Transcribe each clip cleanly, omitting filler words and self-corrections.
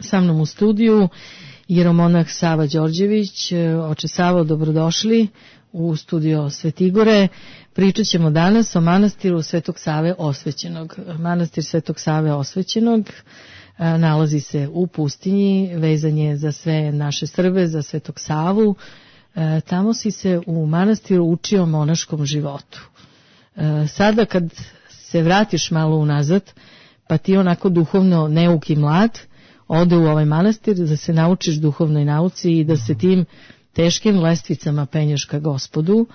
Sa mnom u studiju jeromonah Sava Đorđević. Oče Savo, dobrodošli u studio Svetigore. Pričat ćemo danas o manastiru Svetog Save Osvećenog. Manastir Svetog Save Osvećenog nalazi se u pustinji, vezan je za sve naše Srbe, za Svetog Savu. Tamo si se u manastiru učio monaškom životu. Sada kad se vratiš malo unazad, pa ti onako duhovno neuk i mlad, ode u ovaj manastir da se naučiš duhovnoj nauci i da se tim teškim lestvicama penješ ka Gospodu.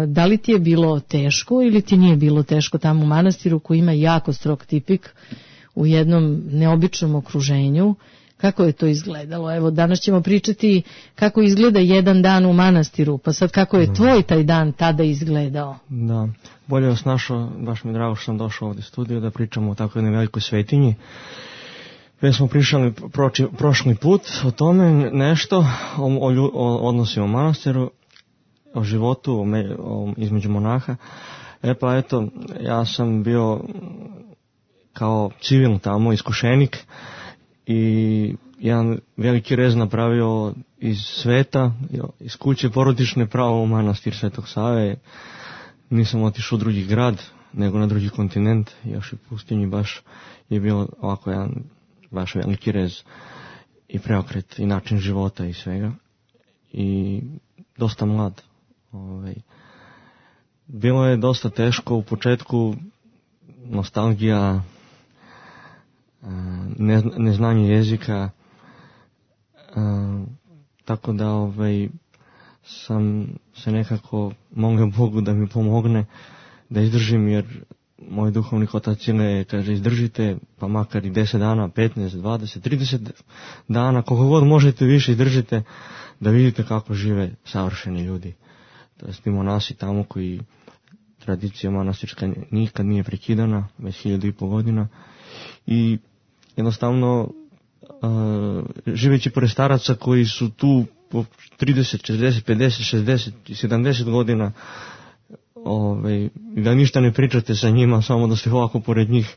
Da li ti je bilo teško ili ti nije bilo teško tamo u manastiru koji ima jako strog tipik u jednom neobičnom okruženju? Kako je to izgledalo? Evo, danas ćemo pričati kako izgleda jedan dan u manastiru, pa sad kako je tvoj taj dan tada izgledao? Da, bolje vas našao, baš mi je drago što sam došao ovdje u studiju da pričamo o tako jednoj velikoj svetinji. Već smo pričali prošli put o tome nešto, o odnosima u manastiru, o životu između monaha. Pa eto, ja sam bio kao civil tamo, iskušenik, i jedan veliki rez napravio iz sveta, iz kuće porodične, pravo u manastir Svetog Save. Nisam otišao u drugi grad, nego na drugi kontinent, još i pustinji. Baš je bilo ovako jedan baš veliki rez i preokret i način života i svega. I dosta mlad. Bilo je dosta teško u početku, nostalgija, neznanje jezika, tako da sam se nekako molio Bogu da mi pomogne da izdržim, jer moj duhovni otac kaže izdržite, pa makar i 10 dana, 15, 20, 30 dana, koliko god možete više izdržite, da vidite kako žive savršeni ljudi. To je ti monasi tamo koji tradicija manastirska nikad nije prekidana, već 1500 godina. I jednostavno, živeći pored staraca koji su tu po 30, 40, 50, 60 i 70 godina, da ništa ne pričate sa njima, samo da ste ovako pored njih,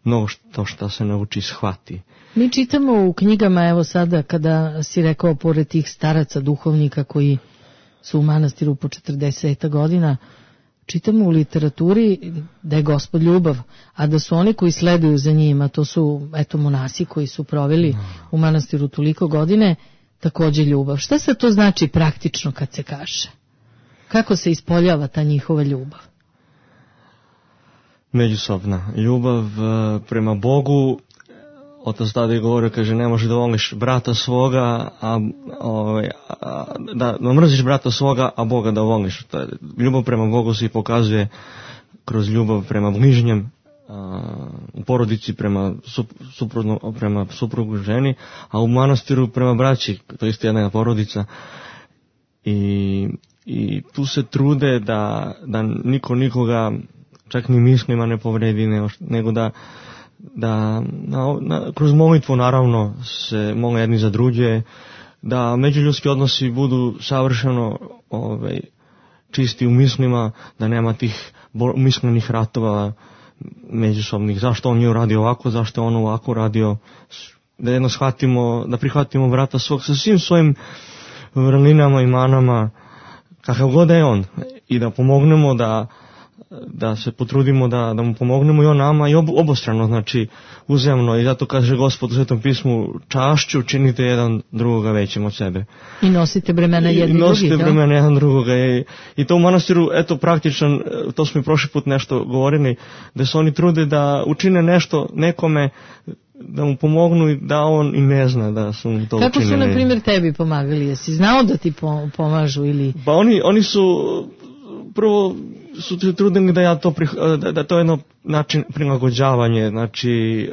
mnogo što se nauči shvati. Mi čitamo u knjigama, evo sada kada si rekao pored tih staraca duhovnika koji su u manastiru po 40 godina, čitamo u literaturi da je Gospod ljubav, a da su oni koji sleduju za njima, to su monasi koji su proveli u manastiru toliko godine, također ljubav. Šta se to znači praktično kad se kaže? Kako se ispoljava ta njihova ljubav? Međusobna ljubav prema Bogu. Otac tada je govorio, kaže, ne možeš da voliš brata svoga, da mrziš brata svoga, a Boga da voliš. Ljubav prema Bogu se pokazuje kroz ljubav prema bližnjem, u porodici prema suprugu ženi, a u manastiru prema braći, to je isto jedna porodica. I tu se trude da niko nikoga, čak ni mislima ne povredi, nego da kroz molitvu naravno se mole jedni za druge, da međuljudski odnosi budu savršeno čisti u mislima, da nema tih mislenih ratova međusobnih, zašto on je uradio ovako, zašto on ovako uradio, da jedno shvatimo, da prihvatimo brata svog sa svim svojim vrlinama i manama, kakav god je on, i da pomognemo, da se potrudimo da mu pomognemo i on nama, i obostrano, znači uzemno. I zato kaže Gospod u Svetom pismu, čašću činite jedan drugoga većim od sebe. I nosite bremena jedni drugi. Nosite bremena jedan drugoga. I to u manastiru, eto, praktičan, to smo i prošli put nešto govorili, da se oni trude da učine nešto nekome, da mu pomognu i da on i ne zna da su mu to učinili. Kako su, na primjer, tebi pomagali? Jesi znao da ti pomažu ili... Pa oni su, prvo su se trudili da da to je jedno način prilagođavanje, znači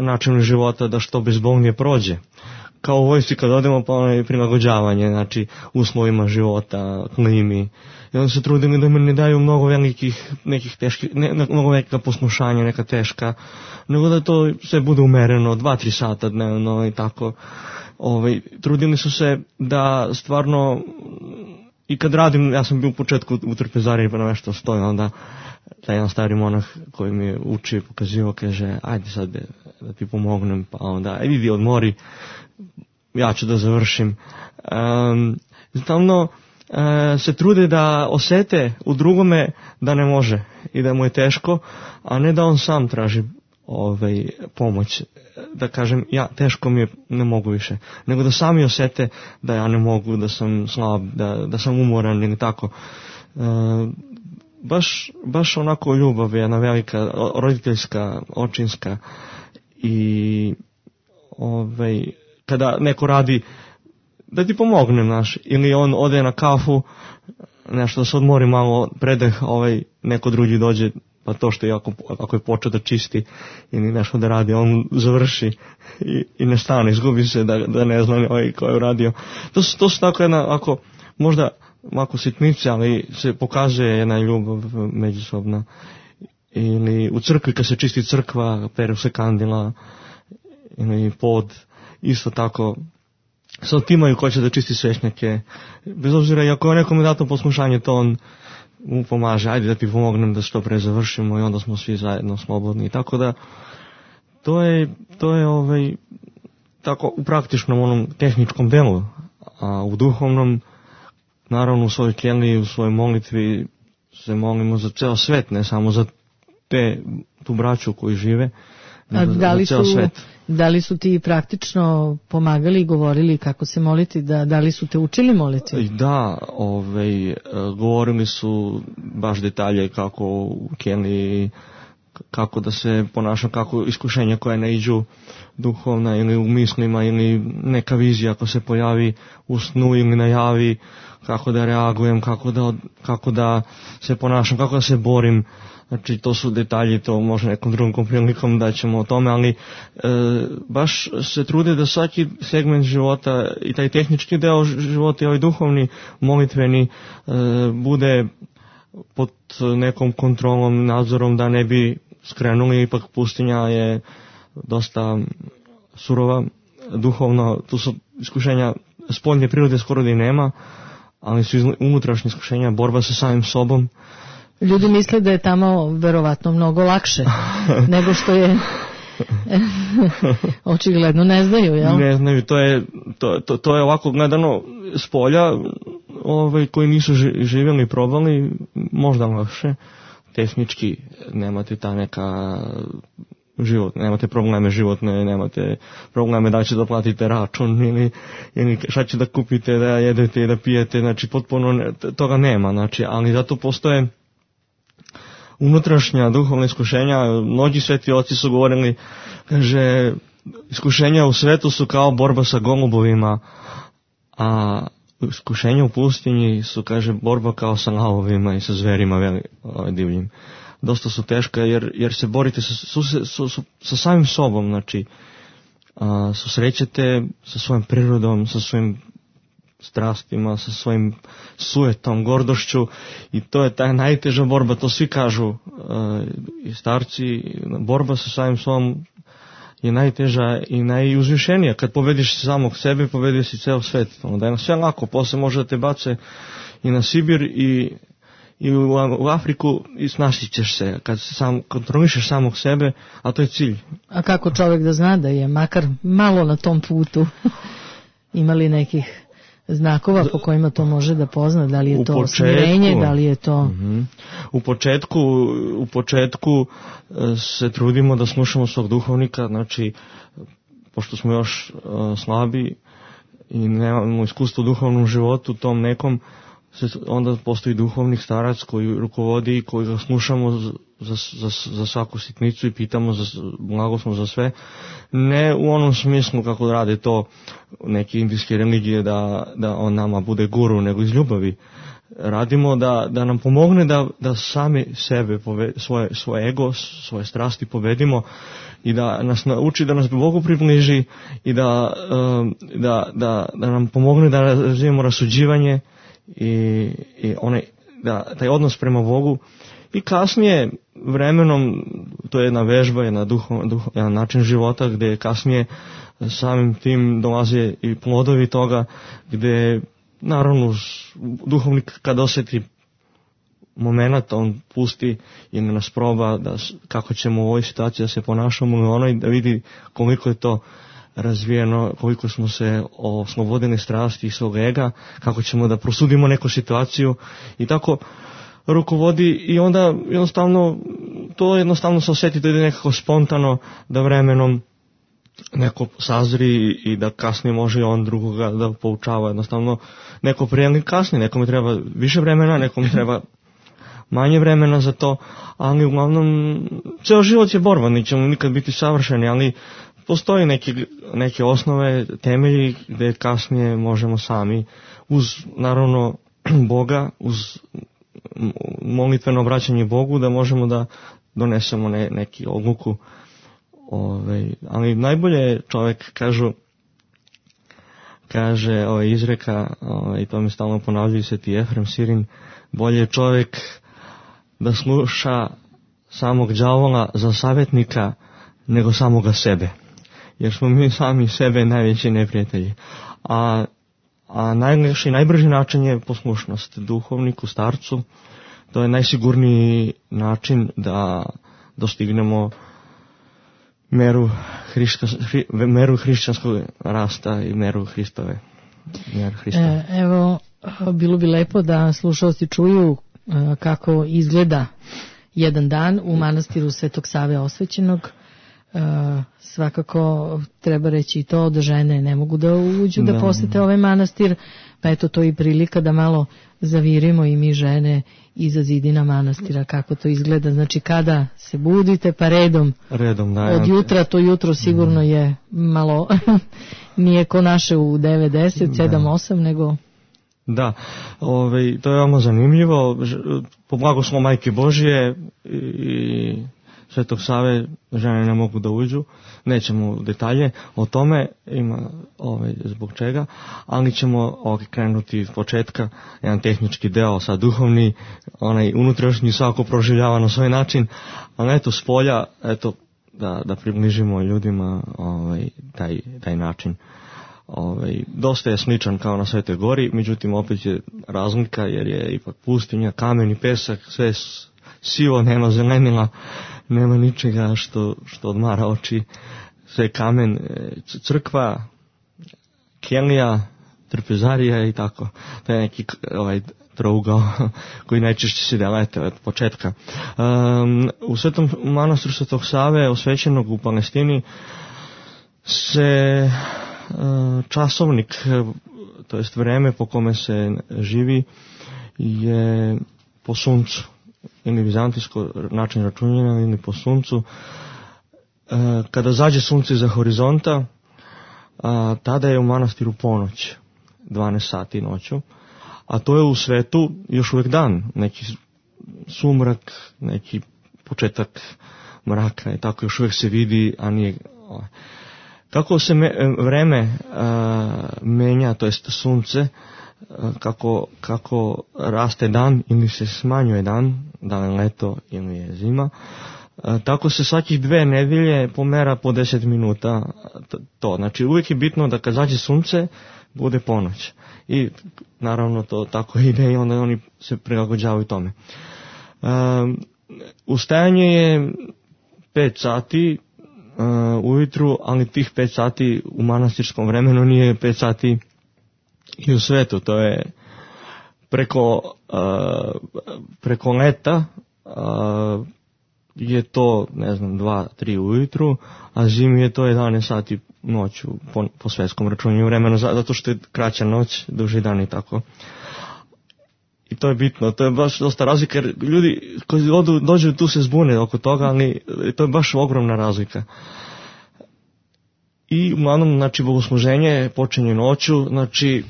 način života, da što bezbolnije prođe. Kao u vojsci kad odemo, pa ono je prilagođavanje, znači uslovima života, klimi. I onda se trudili da mi ne daju mnogo velikih, nekih teških, mnogo velika poslušanja, neka teška, nego da to sve bude umereno, 2-3 sata dnevno i tako. Trudili su se da stvarno i kad radim, ja sam bio u početku u trpezariji pa na nešto stoji, onda taj jedan stari monah koji mi uči pokazivo, kaže, ajde sad da ti pomognem, pa onda, idi odmori, ja ću da završim. Stalno se trude da osete u drugome da ne može i da mu je teško, a ne da on sam traži pomoć, da kažem, ja teško mi je, ne mogu više, nego da sami osete da ja ne mogu, da sam slab, da sam umoran ili tako. Baš onako ljubav je jedna velika, roditeljska, očinska i kada neko radi da ti pomognem, znaš, ili on ode na kafu, nešto da se odmori malo, predeh, neko drugi dođe, pa to što je ako je počeo da čisti ili nešto da radi, on završi i ne stane, izgubi se da ne zna ko je uradio. To su tako jedna, možda mako sitnice, ali se pokazuje jedna ljubav međusobna. Ili u crkvi kad se čisti crkva, peru se kandila, ili pod, isto tako se otimaju ko će da čisti svešnjake. Bez obzira, i ako je nekome dato poslušanje, to on mu pomaže, ajde da ti pomognem da što pre završimo i onda smo svi zajedno slobodni. Tako da, to je tako u praktičnom onom tehničkom delu, a u duhovnom, naravno u svojoj keliji, u svojoj molitvi se molimo za ceo svet, ne samo za tu braću koji žive, nego za ceo svet. Da li su ti praktično pomagali i govorili kako se moliti, da li su te učili moliti? Da, govorili su baš detalje kako u keliji, kako da se ponaša, kako iskušenja koja ne iđu duhovna ili u mislima ili neka vizija ako se pojavi u snu ili najavi, kako da reagujem, kako da se ponašam, kako da se borim. Znači to su detalji, to može nekom drugom prilikom da ćemo o tome, ali baš se trude da svaki segment života i taj tehnički deo života i ovaj duhovni, molitveni bude pod nekom kontrolom, nadzorom da ne bi skrenuli, ipak pustinja je dosta surova, duhovno, tu su iskušenja spoljne prirode skoro da i nema, ali su unutrašnje iskušenja, borba sa samim sobom. Ljudi misle da je tamo verovatno mnogo lakše nego što je očigledno ne znaju, jel? Ne znaju, to je ovako gledano s polja, koji nisu živjeli i probali, možda lakše, tehnički nemate ta neka život, nemate probleme životne, nemate probleme da će da platite račun ili šta će da kupite, da jedete i da pijete, znači potpuno toga nema, znači, ali zato postoje unutrašnja duhovna iskušenja. Mnogi sveti oci su govorili, kaže, iskušenja u svetu su kao borba sa golubovima, a iskušenja u pustinji su, kaže, borba kao sa lavovima i sa zverima divljim. Dosta su teška jer se borite sa samim sobom, znači susrećete sa svojom prirodom, sa svojim strastima, sa svojim sujetom, gordošću, i to je ta najteža borba, to svi kažu i starci, borba sa samim sobom je najteža i najuzvišenija. Kad pobediš samog sebe, pobediš si ceo svet. Onda je sve lako, posle može da te bace i na Sibir i u Afriku i snašit ćeš se kad sam kontrolišeš samog sebe, a to je cilj. A kako čovjek da zna da je makar malo na tom putu? Ima li nekih znakova po kojima to može da pozna? Da li je to smirenje, da li je to... U početku se trudimo da slušamo svog duhovnika, znači, pošto smo još slabi i nemamo iskustvo u duhovnom životu, tom nekom, onda postoji duhovnik starac koji rukovodi i koji ga slušamo za svaku sitnicu i pitamo blagoslov za sve. Ne u onom smislu kako rade to neke indijske religije da on nama bude guru, nego iz ljubavi. Radimo da nam pomogne da sami sebe, svoje ego, svoje strasti povedimo i da nas nauči da nas Bogu približi i da nam pomogne da razvijemo rasuđivanje i taj odnos prema Bogu. I kasnije vremenom, to je jedna vežba, jedan način života gdje kasnije samim tim dolaze i plodovi toga, gdje naravno duhovnik kad osjeti moment, on pusti i nas proba kako ćemo u ovoj situaciji da se ponašamo i onoj, da vidi koliko je to razvijeno, koliko smo se oslobodili strasti i svog ega, kako ćemo da prosudimo neku situaciju i tako rukovodi i onda jednostavno se osjeti da ide nekako spontano, da vremenom neko sazri i da kasnije može on drugoga da poučava. Jednostavno neko prije kasnije, nekome treba više vremena, nekome treba manje vremena za to, ali uglavnom ceo život je borba, nećemo nikad biti savršeni, ali postoji neke osnove, temelji gde kasnije možemo sami uz naravno Boga, uz molitveno obraćanje Bogu da možemo da donesemo neki odluku. Ali najbolje je čovjek, kaže izreka, i to mi stalno ponavljaju Sveti Efrem Sirin, bolje je čovjek da sluša samog đavola za savjetnika nego samoga sebe. Jer smo mi sami sebe najveći neprijatelji. A najljepši i najbrži način je poslušnost duhovniku, starcu. To je najsigurniji način da dostignemo meru hrišćanskog rasta i meru Hristove. Evo, bilo bi lepo da slušalci čuju kako izgleda jedan dan u manastiru Svetog Save Osvećenog. Svakako treba reći i to da žene ne mogu da uđu da posete ovaj manastir, pa eto to i prilika da malo zavirimo i mi žene iza zidina manastira kako to izgleda. Znači kada se budite pa redom da, od jutra, to jutro sigurno je malo nije ko naše u 9, 10, 7, 8 nego... Da, to je veoma zanimljivo. Po blagoslovu Majke Božije i Svetog Save žene ne mogu da uđu. Nećemo u detalje o tome, ima zbog čega, ali ćemo krenuti od početka, jedan tehnički deo, sad duhovni, onaj unutrašnji svako proživljava na svoj način, ali eto s polja, eto da približimo ljudima taj način. Dosta je sličan kao na Svetoj Gori, međutim opet je razlika jer je ipak pustinja, kamen i pesak, sve sivo, nema zelenila, nema ničega što odmara oči, sve kamen, crkva, kelija, trpezarija i tako. To je neki trougao koji najčešće se delete od početka. U Svetom manastiru Svetog Save, osvećenog u Palestini, se časovnik, to jest vreme po kome se živi, je po suncu, ili vizantijsko način računanja, ili po suncu. Kada zađe sunce iza horizonta, tada je u manastiru ponoć, 12 sati noću, a to je u svetu još uvijek dan, neki sumrak, neki početak mraka i tako još uvijek se vidi, a nije... Kako se vreme menja, to jest sunce, kako raste dan ili se smanjuje dan, da li je leto ili je zima, tako se svakih 2 nedelje pomera po 10 minuta to. Znači uvijek je bitno da kad zađe sunce bude ponoć. I naravno to tako ide i onda oni se prilagođavaju tome. Ustajanje je 5 sati ujutru, ali tih 5 sati u manastirskom vremenu nije 5 sati i u svetu. To je preko leta je to, 2-3 ujutru, a zimi je to 11 sati noću po svetskom računanju vremena, zato što je kraća noć, duži dan i tako. I to je bitno, to je baš dosta razlika, jer ljudi koji dođu tu se zbune oko toga, ali to je baš ogromna razlika. I uglavnom, znači, bogosluženje počinje noću, znači,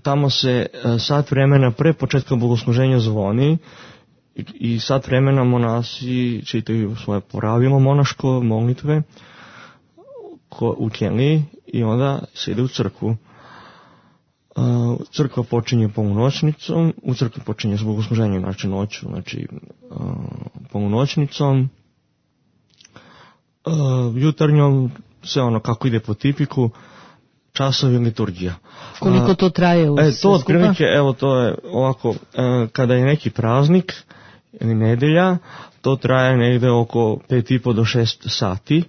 tamo se sat vremena pre početka bogosluženja zvoni i sat vremena monasi čitaju svoje pravilo monaško, molitve u keliji i onda se ide u crkvu. Crkva počinje polunoćnicom, u crkvi počinje s bogosluženjem, znači noću, znači polunoćnicom, jutarnjom, sve ono kako ide po tipiku, časovi liturgija. Koliko to traje u sve to otprilike, evo to je ovako, kada je neki praznik ili nedelja, to traje negde oko 5,5 do 6 sati,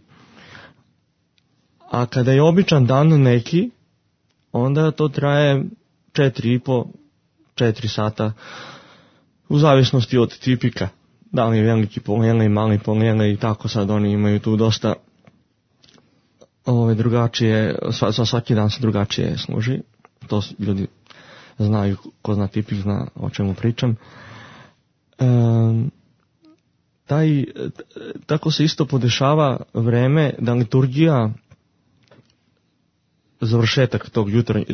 a kada je običan dan neki, onda to traje 4,5-4 sata, u zavisnosti od tipika. Da li je veliki polele i mali polele i tako, sad oni imaju tu dosta drugačije, svaki dan se drugačije služi. To ljudi znaju, ko zna tipik zna o čemu pričam. Tako se isto podešava vreme da liturgija, završetak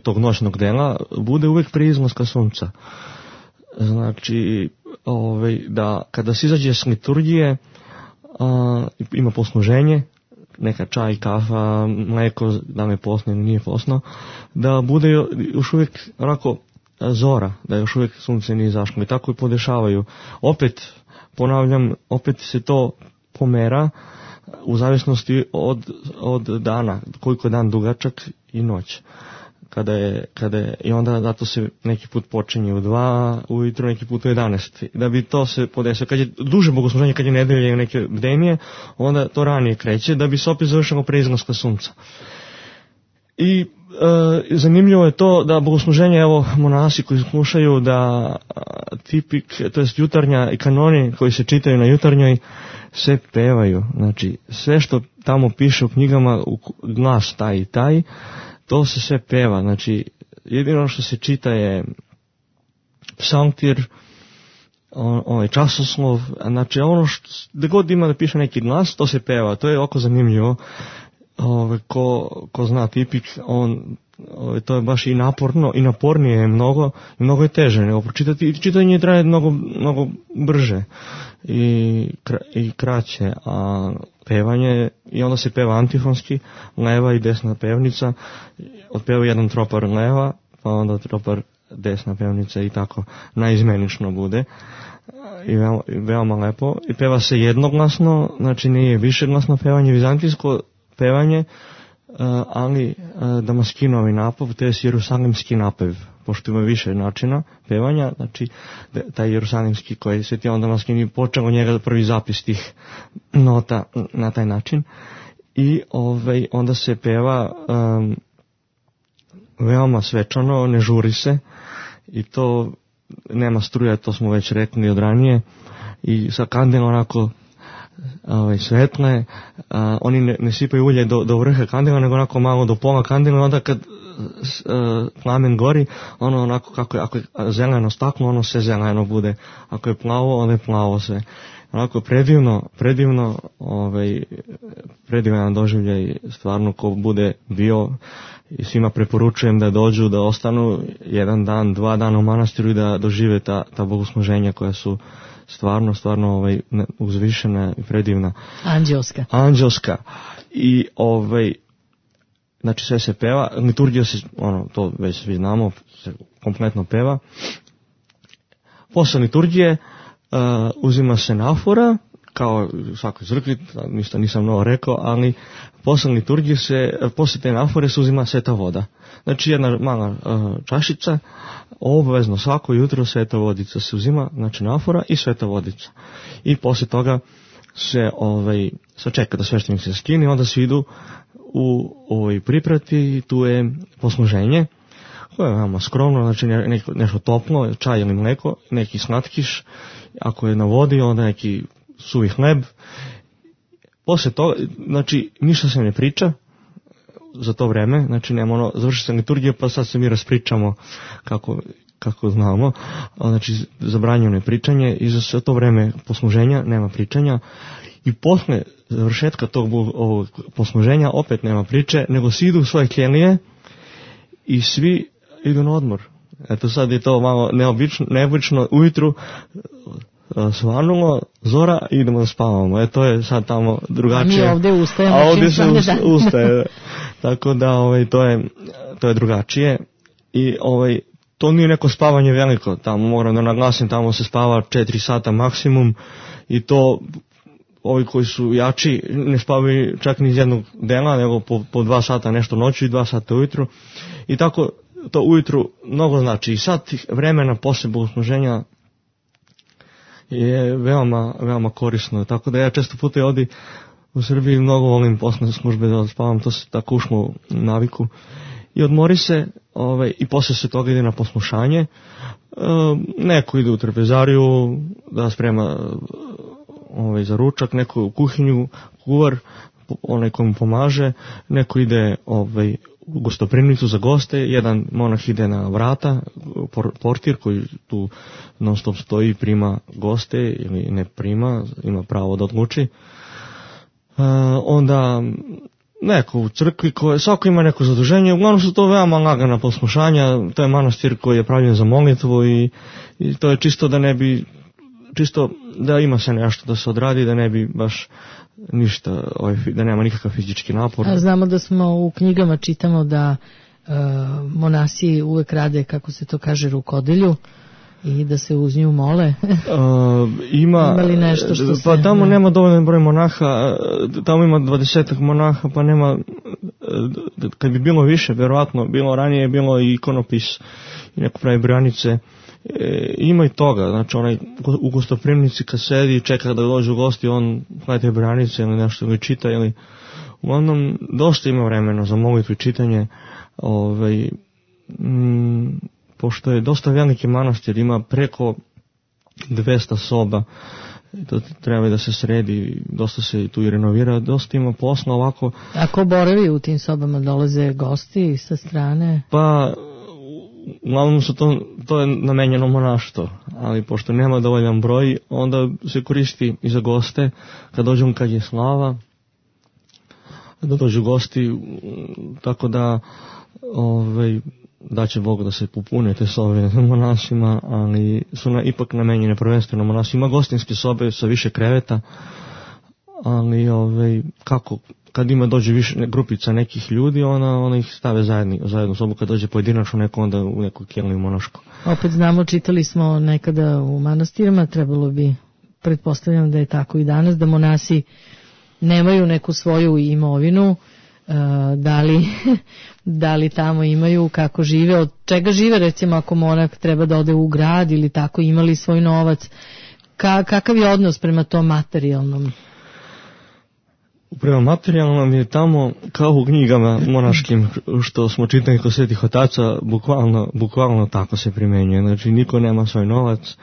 tog noćnog dela, bude uvek prije izlaska sunca. Znači, da kada se izađe s liturgije, ima posluženje, neka čaj, kafa, mleko, da li je posno ili nije posno, da bude još uvijek onako zora, da još uvijek sunce nije izašlo. I tako i podešavaju. Opet, ponavljam, opet se to pomera u zavisnosti od dana, koliko je dan dugačak i noć. I onda zato se neki put počinje u 2 ujutro, neki put u 11. Da bi to se podesilo. Kad je duže bogosluženje, kad je nedelje i neke bdenije, onda to ranije kreće, da bi se opet završilo pre izlaska sunca. I zanimljivo je to da bogosluženje, evo, monasi koji slušaju da tipik, to jest jutarnja i kanoni koji se čitaju na jutarnjoj, se pevaju. Znači, sve što tamo piše u knjigama, glas taj i taj, to se sve peva. Znači, jedino što se čita je psaltir, časoslov, znači ono gde god ima da piše neki glas, to se peva. To je oko zanimljivo. Ko zna tipik, to je baš i naporno, i napornije je mnogo, i mnogo je teže nego pročitati. I čitanje traje mnogo brže i kraće, a pevanje, i onda se peva antifonski, leva i desna pevnica, otpeva jedan tropar leva, pa onda tropar desna pevnica i tako naizmenično bude. I veoma lepo. I peva se jednoglasno, znači nije višeglasno pevanje, vizantijsko pevanje, ali damaskinovi napev, to je jerusalimski napev, pošto ima više načina pevanja, znači taj jerusalimski koji Sveti Jovan Damaskini počeo od njega prvi zapis tih nota na taj način. I onda se peva veoma svečano, ne žuri se, i to nema struja, to smo već rekli od ranije, i sa kandelom onako svetle, oni ne sipaju ulje do vrha kandila, nego onako malo do pola kandila, onda kad plamen gori, ono onako ako je zeleno staklo, ono sve zeleno bude, ako je plavo, ono je plavo sve. Onako predivan doživljaj, stvarno, ko bude bio, i svima preporučujem da dođu, da ostanu 1 dan, 2 dana u manastiru i da dožive ta bogosluženja koja su stvarno uzvišena i predivna. Anđelska. I znači sve se peva, liturgija se, to već svi znamo, se kompletno peva. Posle liturgije uzima se nafora, kao u svakoj crkvi, ništa nisam novo rekao, ali posle liturgije posle te nafore se uzima sveta voda. Znači jedna mala čašica, obavezno svako jutro sveta vodica se uzima, znači nafora i sveta vodica. I posle toga se čeka da sveštenik se skine, onda se idu u priprati, tu je posluženje, koje je veoma skromno, znači nešto toplo, čaj ili mleko, neki slatkiš, ako je na vodi, onda neki suvi hleb. Posle toga, znači, ništa se ne priča za to vreme, znači nema završi se liturgija, pa sad se mi raspričamo kako znamo, znači zabranjeno je pričanje, i za sve to vreme posluženja nema pričanja, i posle završetka tog posluženja opet nema priče, nego svi idu u svoje kelije i svi idu na odmor. Eto, sad je to malo neobično, ujutru svanulo, zora, i idemo da spavamo. To je sad tamo drugačije. A mi ovdje ustajemo. A ovdje se ustaje. Tako da to je drugačije. I to nije neko spavanje veliko. Tamo moram da naglasim, tamo se spava 4 sata maksimum, i to ovi koji su jači ne spavaju čak ni iz jednog dela, nego po 2 sata nešto noću i 2 sata ujutru. I tako to ujutru mnogo znači. I sat vremena posle bogosluženja je veoma korisno. Tako da ja često puta ovdje u Srbiji mnogo volim posle službe da spavam, to se tako ušlo u naviku. I odmori se, i posle se toga ide na poslušanje. Neko ide u trpezariju da sprema za ručak, neko u kuhinju, kuvar, onaj koji mu pomaže, neko ide u gostoprimnicu za goste, jedan monah ide na vrata, portir koji tu non stop stoji i prima goste ili ne prima, ima pravo da odluči. Onda neko u crkvi, svako ima neko zaduženje, uglavnom su to veoma lagana poslušanja, to je manastir koji je pravljen za molitvu i to je čisto da ima se nešto da se odradi, da ne bi baš ništa, da nema nikakav fizički napor. A znamo da smo u knjigama čitamo da monasi uvek rade, kako se to kaže, rukodelju i da se uz nju mole. Ima li nešto što se... Pa tamo nema dovoljan broj monaha, tamo ima 20 monaha, pa nema, kad bi bilo više, verovatno, bilo ranije, bilo i ikonopis i neko pravi branice. Ima i toga, znači onaj u gostoprimnici kad sedi i čeka da dođu gosti, on gledajte branice ili nešto ili čita, ili uglavnom dosta ima vremena za molitvu i čitanje, pošto je dosta veliki manastir, ima preko 200 soba, to treba da se sredi, dosta se tu i renovira, dosta ima posla ovako. A ko boravi u tim sobama, dolaze gosti sa strane? Pa uglavnom to je namenjeno monaštvo, ali pošto nema dovoljan broj, onda se koristi i za goste, kad je slava, da dođu gosti, tako da da će Bog da se popune te sobe monasima, ali su ipak namenjene prvenstveno monasima. Ima gostinske sobe sa više kreveta, ali kad dođe više grupica nekih ljudi, ona ih stave zajedno sobu. Kad dođe pojedinačno neko, onda u neku keliju monašku. Opet znamo, čitali smo nekada u manastirima, trebalo bi, pretpostavljam da je tako i danas, da monasi nemaju neku svoju imovinu, da li tamo imaju, kako žive, od čega žive, recimo ako monah treba da ode u grad ili tako, imali svoj novac, kakav je odnos prema tom materijalnom? Prema materijalnom je tamo kao u knjigama monaškim što smo čitali kod svetih otaca, bukvalno tako se primenjuje, znači niko nema svoj novac,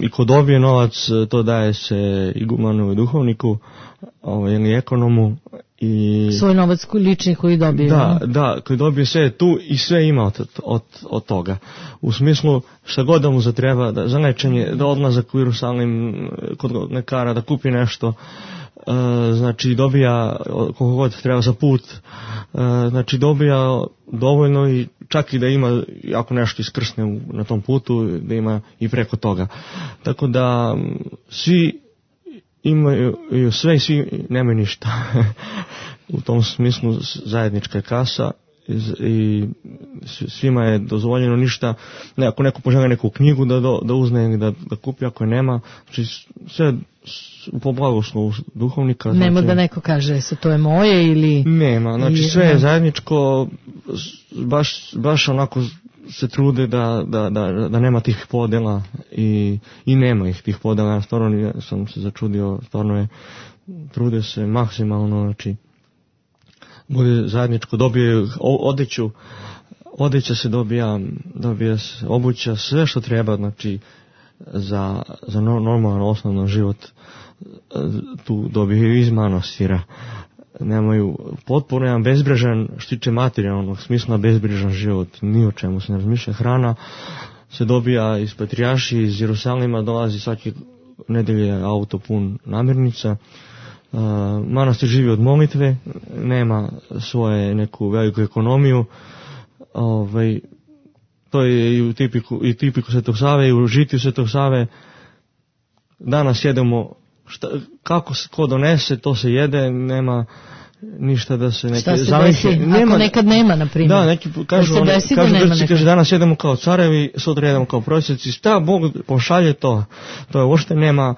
i ko dobije novac to daje se igumanu i duhovniku ili ekonomu. I svoj novac lični koji dobije. Da, koji dobije sve tu i sve ima od toga. U smislu šta god da mu zatreba, za lečenje, da odlazak u Jerusalim kod lekara, da kupi nešto, znači dobija koliko god treba za put, znači dobija dovoljno i čak i da ima, ako nešto iskrsne na tom putu, da ima i preko toga. Tako da svi imaju sve i svi nemaju ništa. U tom smislu zajednička je kasa i svima je dozvoljeno ništa. Ako neko poželi neku knjigu da uzme ili da kupi, ako je nema, znači sve po blagoslovu duhovnika. Nema da neko kaže to je moje ili... Nema, znači sve je zajedničko, baš onako se trude da nema tih podela i nema ih tih podela. Ja stvarno sam se začudio, stvarno trude se maksimalno, znači bude zajedničko, dobije odeća se dobija se obuća, sve što treba, znači za normalan osnovno život tu dobiju iz manastira. Nemaju potpuno jedan bezbrižan, što tiče materijalnog smisla, bezbrižan život, ni o čemu se ne razmišlja. Hrana se dobija iz Patrijaršije, iz Jerusalima, dolazi svake nedelje auto pun namirnica. Manastir živi od molitve, nema svoje neku veliku ekonomiju. To je i tipiku Svetog Save, i u žitiju Svetog Save. Danas jedemo kako se ko donese, to se jede, ništa da se neke šta se desi, ako nekad nema, na primjer. Da, neki kažu Grci danas jedemo kao carevi, sutra jedemo kao prosjeci, šta Bog pošalje to je uopšte nema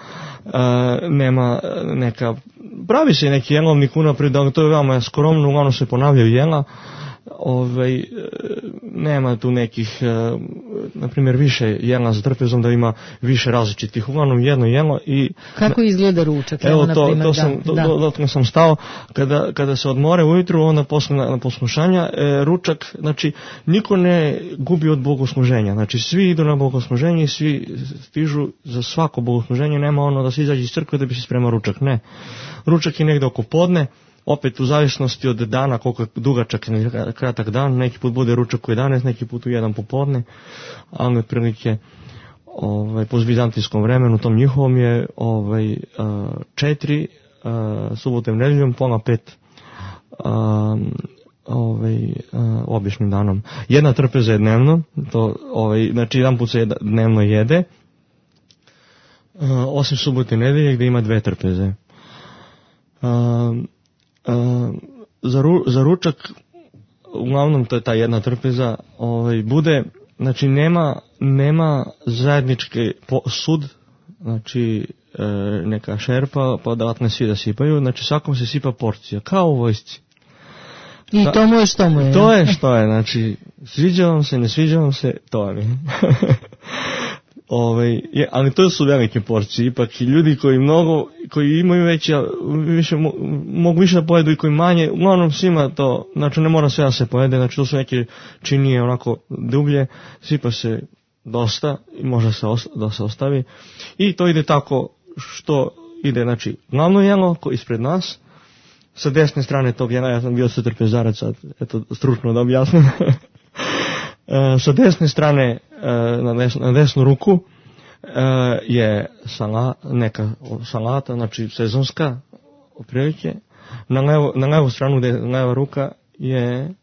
neka, pravi se neki jelovnik unaprijed, to je veoma skromno, uglavnom se ponavljaju jela, nema tu nekih, na primjer, više jela za trpezom, da ima više različitih, uglavnom jedno jelo i... Kako izgleda ručak? Evo, to sam stao, kada se odmore ujutru, onda na poslušanja, ručak, znači, niko ne gubi od bogosluženja, znači, svi idu na bogosluženje i svi stižu za svako bogosluženje, nema ono da se izađe iz crkve da bi se spremao ručak, ne. Ručak je negde oko podne, opet u zavisnosti od dana, koliko je dugačak ili kratak dan, neki put bude ručak u 11, neki put u 1 popodne, ali otprilike po bizantijskom vremenu, tom njihovom je 4, subotom, nedeljom, pola 5 običnim danom. Jedna trpeza je dnevno, znači jedan put se dnevno jede, osim subote i nedelje gdje ima 2 trpeze. Za ručak, uglavnom to je ta jedna trpeza, bude, znači nema zajednički sud, znači neka šerpa, pa odatle svi da sipaju, znači svakom se sipa porcija, kao u vojsci. I to mu je što mu je. To je što je, znači sviđa vam se, ne sviđa vam se, to je. Ali to su velike porcije, ipak i ljudi koji imaju mogu više da pojedu i koji manje, uglavnom svima to, znači ne mora sve da se pojede, znači to su neke činije onako dublje, sipa se dosta i može da se ostavi i to ide tako što ide, znači glavno jelo ispred nas, sa desne strane tog jela, ja sam bio trpezarac, sad eto stručno da objasnim, sa desne strane na desnu ruku je neka salata, znači sezonska otprilike, na levu stranu gdje je leva ruka je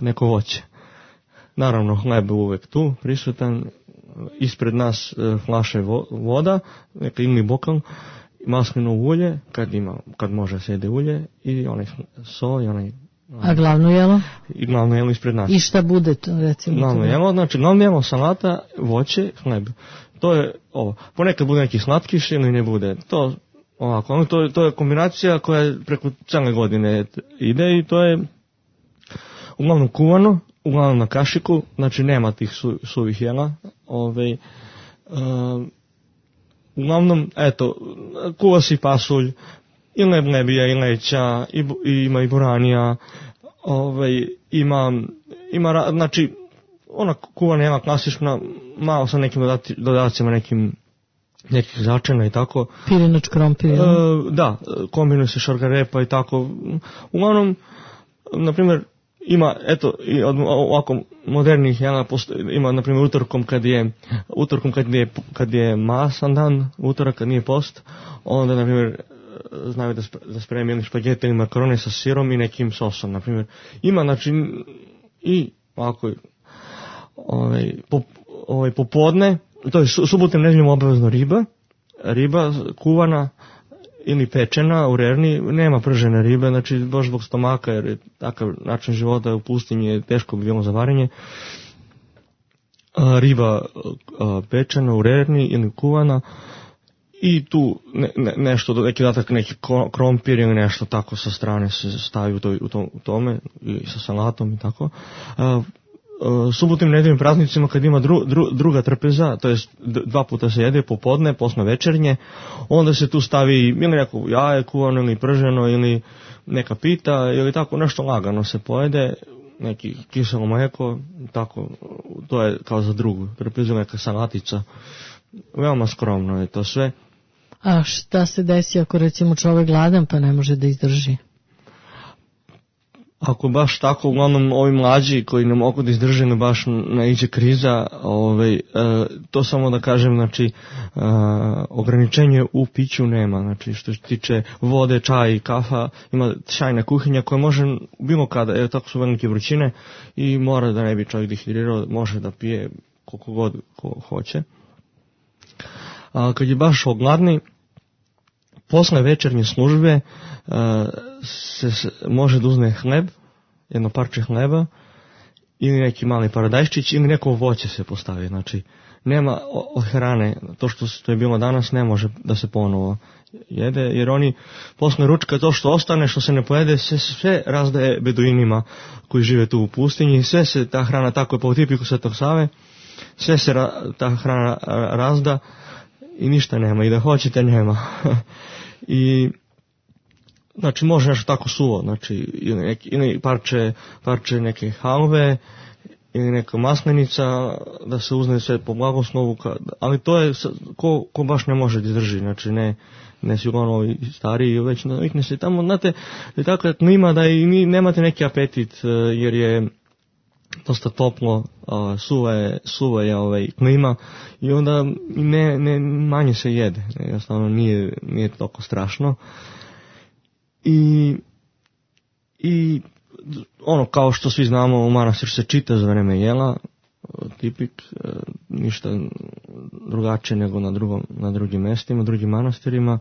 neko voće. Naravno hleb je uvek tu prisutan, ispred nas flaše voda, neka ili bokal, maslinovo ulje, kad može se jede ulje, i onaj so i onaj... A glavno jelo? I glavno jelo ispred nas. I šta bude to, recimo? Glavno jelo, znači glavno jelo, salata, voće, hleb. To je ovo. Ponekad bude neki slatkiš ili ne bude. To ovako, to je kombinacija koja preko cijele godine ide i to je uglavnom kuvano, uglavnom na kašiku, znači nema tih suvih jela. Uglavnom, eto, kuva se pasulj, i lebnebija, i leća, ima i buranija, ima, znači, ona kuvana jela klasična, malo sa nekim dodacima, nekih začina i tako. Pirinač, krompir. Da, kombinuje se šargarepa i tako. Uglavnom, na primjer, ima, eto, od ovako modernih jela, ima, na primjer, kad je masan dan, utorak kad nije post, onda, na primjer, znaju da spremi ili špagete ili makarone sa sirom i nekim sosom, na primjer. Ima, znači, i ovako, popodne, to je subotom, nedeljom obavezno riba kuvana ili pečena u rerni, nema pržene ribe, znači baš zbog stomaka, jer je takav način života u pustinji je teško bi bilo za varenje. Riba pečena u rerni ili kuvana i tu nešto, neki dodatak, neki krompir ili nešto tako sa strane se stavi u tome i sa salatom i tako. Subotim nedeljim praznicima kad ima druga trpeza, to je 2 puta se jede popodne, posle večernje, onda se tu stavi ili neko jaje kuvano ili prženo ili neka pita ili tako nešto lagano se pojede, neki kiselo mleko, tako, to je kao za drugu trpezu, neka salatica, veoma skromno je to sve. A šta se desi ako recimo čovjek gladan pa ne može da izdrži? Ako baš tako, uglavnom ovi mlađi koji ne mogu da izdrže, ne baš naiđe kriza, to samo da kažem, znači, ograničenje u piću nema, znači, što se tiče vode, čaj, kafa, ima šajna kuhinja koja može bilo kada, evo tako su velike vrućine i mora da ne bi čovjek dehidrirao, može da pije koliko god ko hoće. A kad je baš ogladni, posle večernje službe može da uzme hleb, jedno parče hleba, ili neki mali paradajščić, ili neko voće se postavi. Znači, nema od hrane, to što je bilo danas ne može da se ponovo jede, jer oni posle ručka to što ostane, što se ne pojede, sve razdaje beduinima koji žive tu u pustinji, sve se ta hrana, tako je po tipiku Svetog Save, sve se ta hrana razda i ništa nema, i da hoćete nema. I znači može nešto tako suvo, znači ili parče neke halve, ili neka maslenica, da se uzne sve po blagoslovu, ali to je ko baš ne može da izdrži, znači ne su ovi stariji, već navikne se tamo, znate, je tako klima da i nemate neki apetit, jer je dosta toplo, suva je klima i onda manje se jede, jednostavno nije toliko strašno. I ono, kao što svi znamo, u manastiru se čita za vreme jela, tipik, ništa drugačije nego na drugim mestima, drugim manastirima.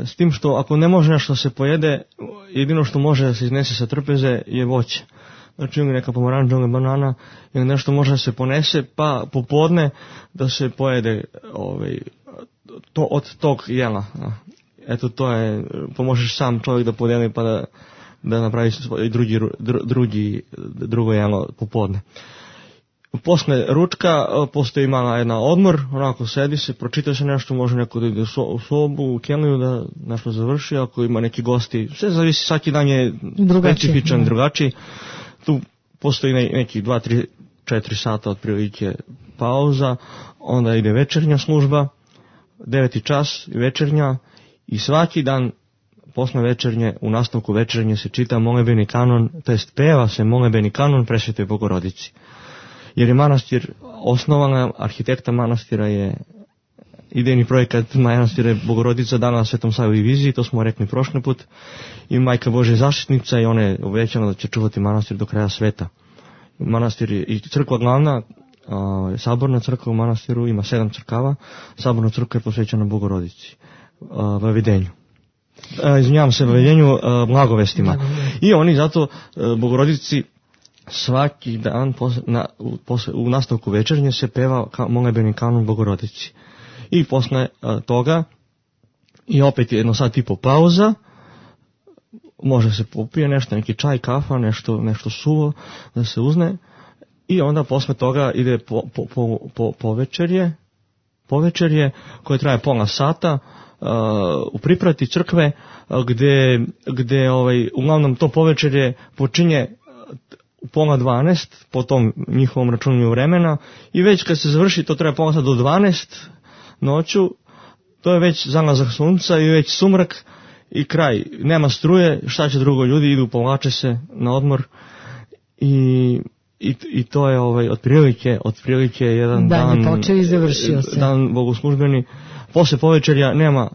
S tim što ako ne može nešto se pojede, jedino što može da se iznese sa trpeze je voće. Znači ili neka pomaranča ili banana, ili nešto može da se ponese, pa popodne da se pojede to od tog jela. Eto, to je, pomožeš sam čovjek da podijeli pa da napravi drugo jelo popodne. Posle ručka postoji mala jedna odmor, onako sedi se, pročita se nešto, može neko da ide u sobu, u keliju da nešto završi, ako ima neki gosti, sve zavisi, svaki dan je specifičan, drugačiji. Tu postoji neki 2, 3, 4 sata otprilike pauza, onda ide večernja služba, 9. čas večernja, i svaki dan posle večernje, u nastavku večernje se čita molebeni kanon, to jest peva se molebeni kanon Presvetoj Bogorodici. Jer je manastir osnovan, arhitekta manastira je idejni projekat manastira je Bogorodica dana na Svetom Savi viziji, to smo rekli prošli put, i Majka Božja zaštitnica, i ona je obećala da će čuvati manastir do kraja sveta. Manastir je i crkva glavna, saborna crkva u manastiru, ima 7 crkava, saborna crkva je posvećena Bogorodici, Vavedenju. Izvinjavam se, Vavedenju, blagovestima. I oni zato Bogorodici svaki dan u nastavku večernje se peva molebeni kanon Bogorodici. I posle toga i opet jedno sat i po pauza, može se popije nešto, neki čaj, kafa, nešto suvo da se uzne, i onda posle toga ide povečerje koje traje pola sata u priprati crkve, gde uglavnom to povečerje počinje u 11:30 po tom njihovom računanju vremena, i već kad se završi, to treba pola sata do 12 noću, to je već zalazak sunca i već sumrak i kraj. Nema struje, šta će drugo, ljudi idu, povlače se na odmor, i to je otprilike jedan dan počeo i završio se. Dan bogoslužbeni. Posle povečerja nema,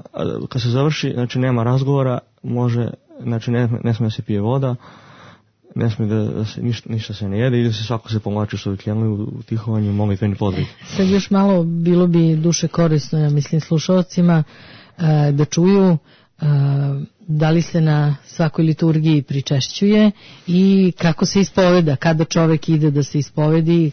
kad se završi, znači nema razgovora, znači ne smije da se pije voda, ne smije da se ništa se ne jede, ide se, svako se povlači u svoju kjelu, u tihovanju, molitveni podvig. Sad još malo bilo bi duše korisno, ja mislim, slušalcima da čuju da li se na svakoj liturgiji pričešćuje i kako se ispoveda, kada čovek ide da se ispovedi,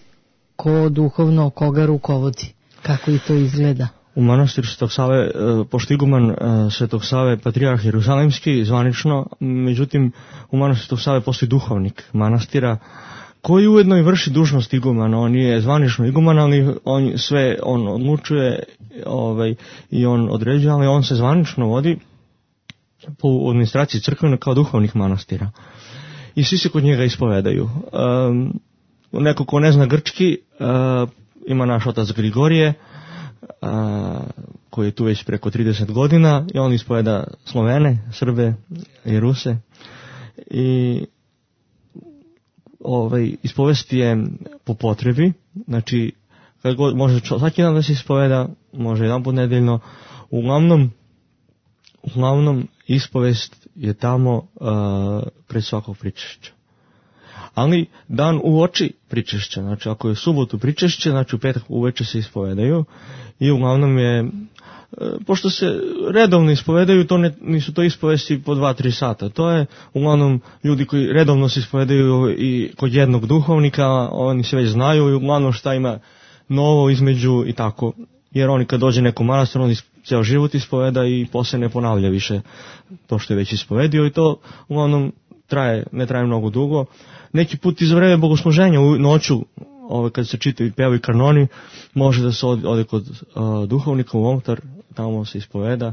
ko duhovno, koga rukovodi, kako i to izgleda. U manastiru Svetog Save, pošto iguman Svetog Save patrijarh Jerusalimski, zvanično, međutim u manastiru Svetog Save postoji duhovnik manastira, koji ujedno i vrši dužnost igumana. On je zvanično iguman, ali on odlučuje i on određuje, ali on se zvanično vodi po administraciji crkvene kao duhovnih manastira. I svi se kod njega ispovedaju. Neko ko ne zna grčki, ima naš otac Grigorije, koji je tu već preko 30 godina, i on ispoveda Slovene, Srbe i Ruse. I ispovesti je po potrebi, znači kad god može svaki dan da se ispoveda, može jedan put nedeljno, uglavnom ispovest je tamo pred svakog pričešća. ali dan uoči pričešća, znači ako je subotu pričešće, znači u petak uveče se ispovedaju i uglavnom je, pošto se redovno ispovedaju, nisu to ispovesti po 2-3 sata, to je uglavnom ljudi koji redovno se ispovedaju i kod jednog duhovnika, oni se već znaju i uglavnom šta ima novo između i tako, jer oni kad dođe neko manastir, on ceo život ispoveda i poslije ne ponavlja više to što je već ispovedio i to uglavnom ne traje mnogo dugo. Neki put iz vreme bogosluženja u noću, kad se čitaju i pevaju kanoni, može da se ode kod duhovnika u oltar, tamo se ispoveda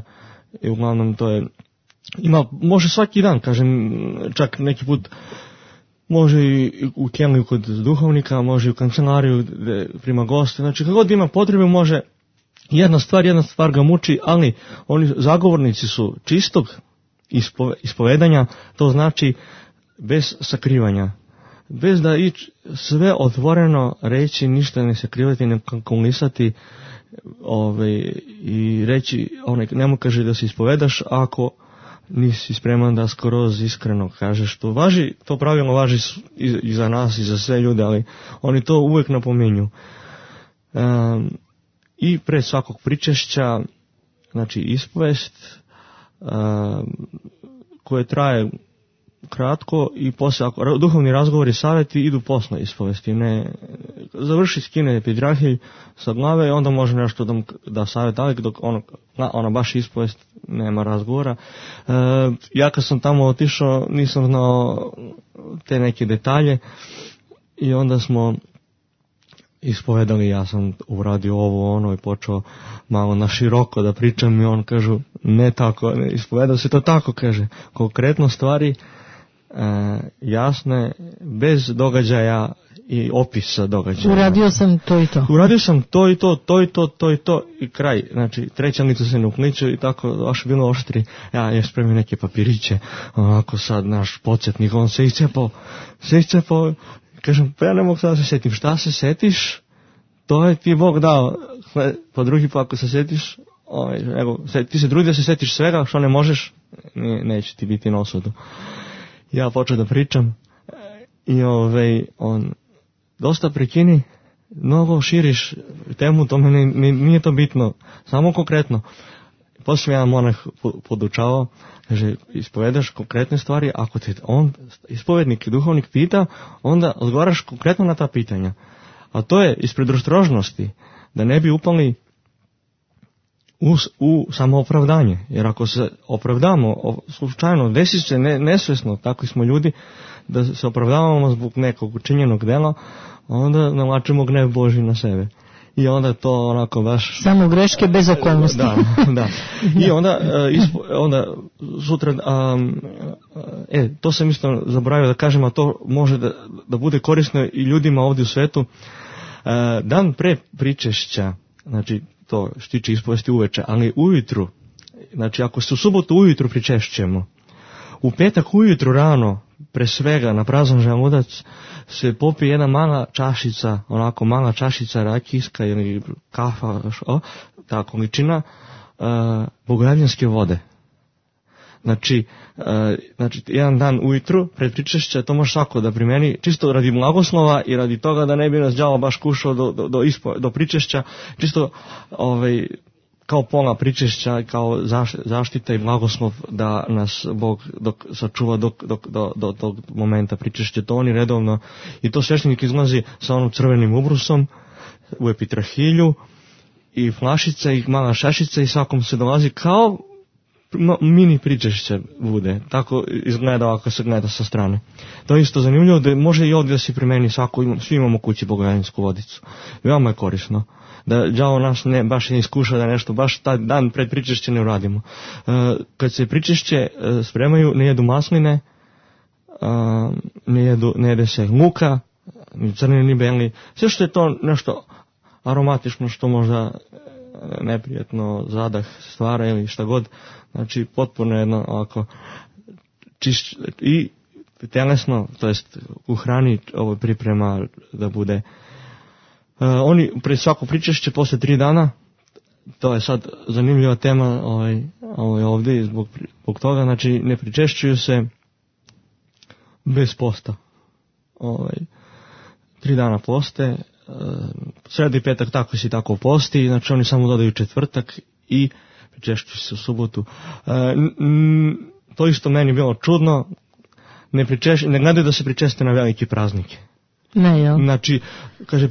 i uglavnom to je, može svaki dan, kažem, čak neki put može i u keliju kod duhovnika, može i u kancelariju gde prima goste, znači kako god ima potrebe može, jedna stvar ga muči, ali oni zagovornici su čistog ispovedanja, to znači bez sakrivanja, bez da sve otvoreno reći, ništa ne sakrivati, ne kalkulisati i reći, nemo kaže da se ispovedaš ako nisi spreman da skroz iskreno kažeš. To pravilno važi i za nas i za sve ljude, ali oni to uvijek napominju. I pre svakog pričešća, znači ispovest koje traje kratko i poslije, ako duhovni razgovori i savjeti idu posle ispovesti, ne završi skine epidrahij sa glave i onda može nešto da savjet, ali dok ona baš ispovest nema razgovora. Ja kad sam tamo otišao nisam znao te neke detalje i onda smo ispovedali, ja sam uradio ovo i počeo malo na široko da pričam i on kažu ne tako, ne ispovedao se to tako, kaže, konkretno stvari jasne, bez događaja i opisa događaja. Uradio sam to i to. Uradio sam to i to, to i to, to i to i kraj. Znači, treća lica se ne ukliče i tako, baš bilo oštri. Ja je spremio neke papiriće, onako sad naš podsjetnik, on se iscepao, kažem, pa ja ne mogu sad da se setim. Šta se setiš? To je ti Bog dao. Pa drugi pa ako se setiš, ti se trudi da se setiš svega, što ne možeš, neće ti biti na osudu. Ja počeo da pričam i on dosta prekini, mnogo širiš temu, to meni nije to bitno, samo konkretno. Poslije jedan monah podučavao, kaže, ispovedaš konkretne stvari, ako te on, ispovednik i duhovnik pita, onda odgovaraš konkretno na ta pitanja. A to je iz predostrožnosti, da ne bi upali u samoopravdanje. Jer ako se opravdamo, slučajno, desi se nesvesno, takvi smo ljudi, da se opravdavamo zbog nekog učinjenog dela, onda navlačimo gnev Božji na sebe. I onda to onako baš... Samo greške bez okolnosti. Da. I onda sutra... to sam isto zaboravio da kažem, a to može da bude korisno i ljudima ovdje u svetu. Dan pre pričešća, znači to štiče ispovesti uveče, ali ujutru, znači ako se u subotu ujutru pričešćemo, u petak ujutru rano, pre svega na prazan želudac, se popije jedna mala čašica rakijska ili kafa, ta količina bogorodiljske vode. Znači, jedan dan ujutru, pred pričešća, to može svako da primeni, čisto radi blagoslova i radi toga da ne bi nas đavo baš kušao do pričešća, čisto kao pola pričešća, kao zaštita i blagoslov da nas Bog sačuva do tog momenta pričešća. To oni redovno, i to sveštenik izlazi sa onom crvenim ubrusom u epitrahilju i flašica i mala šašica i svakom se dolazi kao mini pričešće bude, tako izgleda ako se gleda sa strane. To je isto zanimljivo, da može i ovdje da se primeni svi imamo kući bogorodiljsku vodicu. Veoma je korisno. Da đavo nas baš ne iskuša da nešto, baš taj dan pred pričešće ne uradimo. Kad se pričešće spremaju, ne jedu masline, ne jede se luka, ni crni, ni beli, sve što je to nešto aromatično što možda neprijatno zadah stvara ili šta god, znači potpuno jedno ovako i telesno, to jest u hrani ovo priprema da bude. Oni pred svako pričešće posle 3 dana, to je sad zanimljiva tema ovdje zbog toga, znači ne pričešćuju se bez posta. 3 dana poste, sreda i petak tako si tako posti, znači oni samo dodaju četvrtak i pričešćuju se u subotu. To isto meni bilo čudno, ne gledaju da se pričeste na velike praznike. Ne, jel? Znači, kaže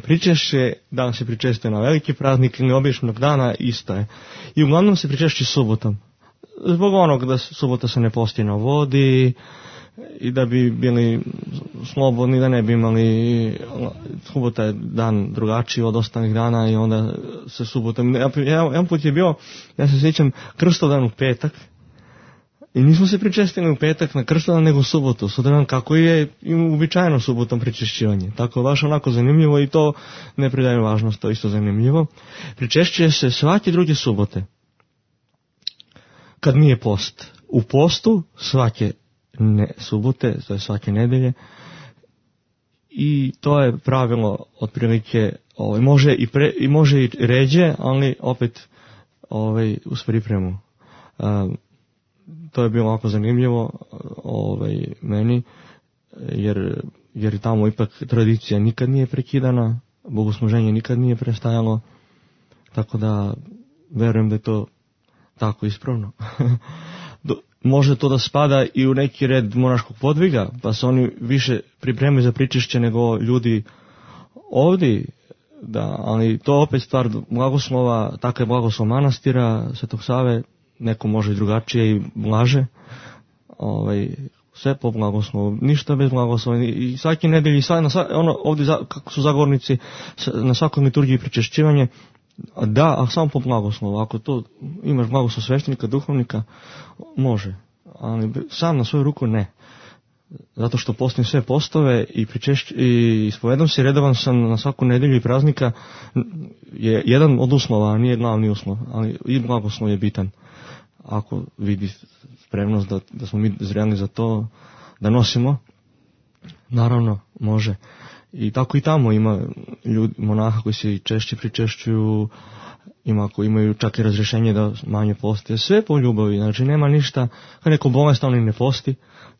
pričešće, dan se pričeste na veliki praznik ili običnog dana, isto je. I uglavnom se pričešće subotom. Zbog onog da subota se ne posti na vodi i da bi bili slobodni, da ne bi imali, subota je dan drugačiji od ostalih dana i onda se subotom. Jedan put je bio, ja se sjećam, Krstodan u petak i nismo se pričestili u petak na Krstodan nego u subotu, sutradan kako je uobičajeno subotom pričešćivanje. Tako baš onako zanimljivo i to ne pridaje važnost, to je isto zanimljivo. Pričešćuje se svake druge subote. Kad nije post. U postu svake subote, to je svake nedelje. I to je pravilo otprilike, može i ređe, ali opet uz pripremu. To je bilo ovako zanimljivo meni, jer tamo ipak tradicija nikad nije prekidana, bogosluženje nikad nije prestajalo, tako da verujem da je to tako ispravno. Može to da spada i u neki red monaškog podviga, pa se oni više pripremaju za pričešće nego ljudi ovdje, ali to opet stvar blagoslova, tako je blagoslov manastira Svetog Save, neko može i drugačije i blaže, sve po blagoslovu, ništa bez blagoslova. I svaki nedelji, ovdje kako su zagovornici, na svakoj liturgiji pričešćivanje, a samo po blagoslovu. Ako to imaš blagoslov sveštenika, duhovnika, može, ali sam na svoju ruku ne. Zato što postim sve postove i ispovedam se, redovan sam na svaku nedelju i praznika, je jedan od uslova, a nije glavni uslov, ali i blagoslov je bitan. Ako vidi spremnost da smo mi zreli za to, da nosimo, naravno može. I tako i tamo ima monaha koji se češće pričešćuju, koji imaju čak i razrješenje da manje poste, sve po ljubavi, znači nema ništa, kad neko bolestan on ne posti.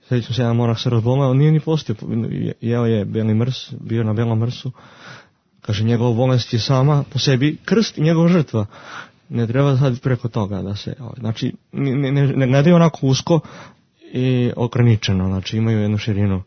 Sjećam se, jedan monah se razboleo, on nije ni postio, jeo je beli mrs, bio na belom mrsu, kaže njegova bolest je sama po sebi krst i njegova žrtva. Ne treba sad preko toga da se, znači ne gledaju onako usko i ograničeno, znači imaju jednu širinu.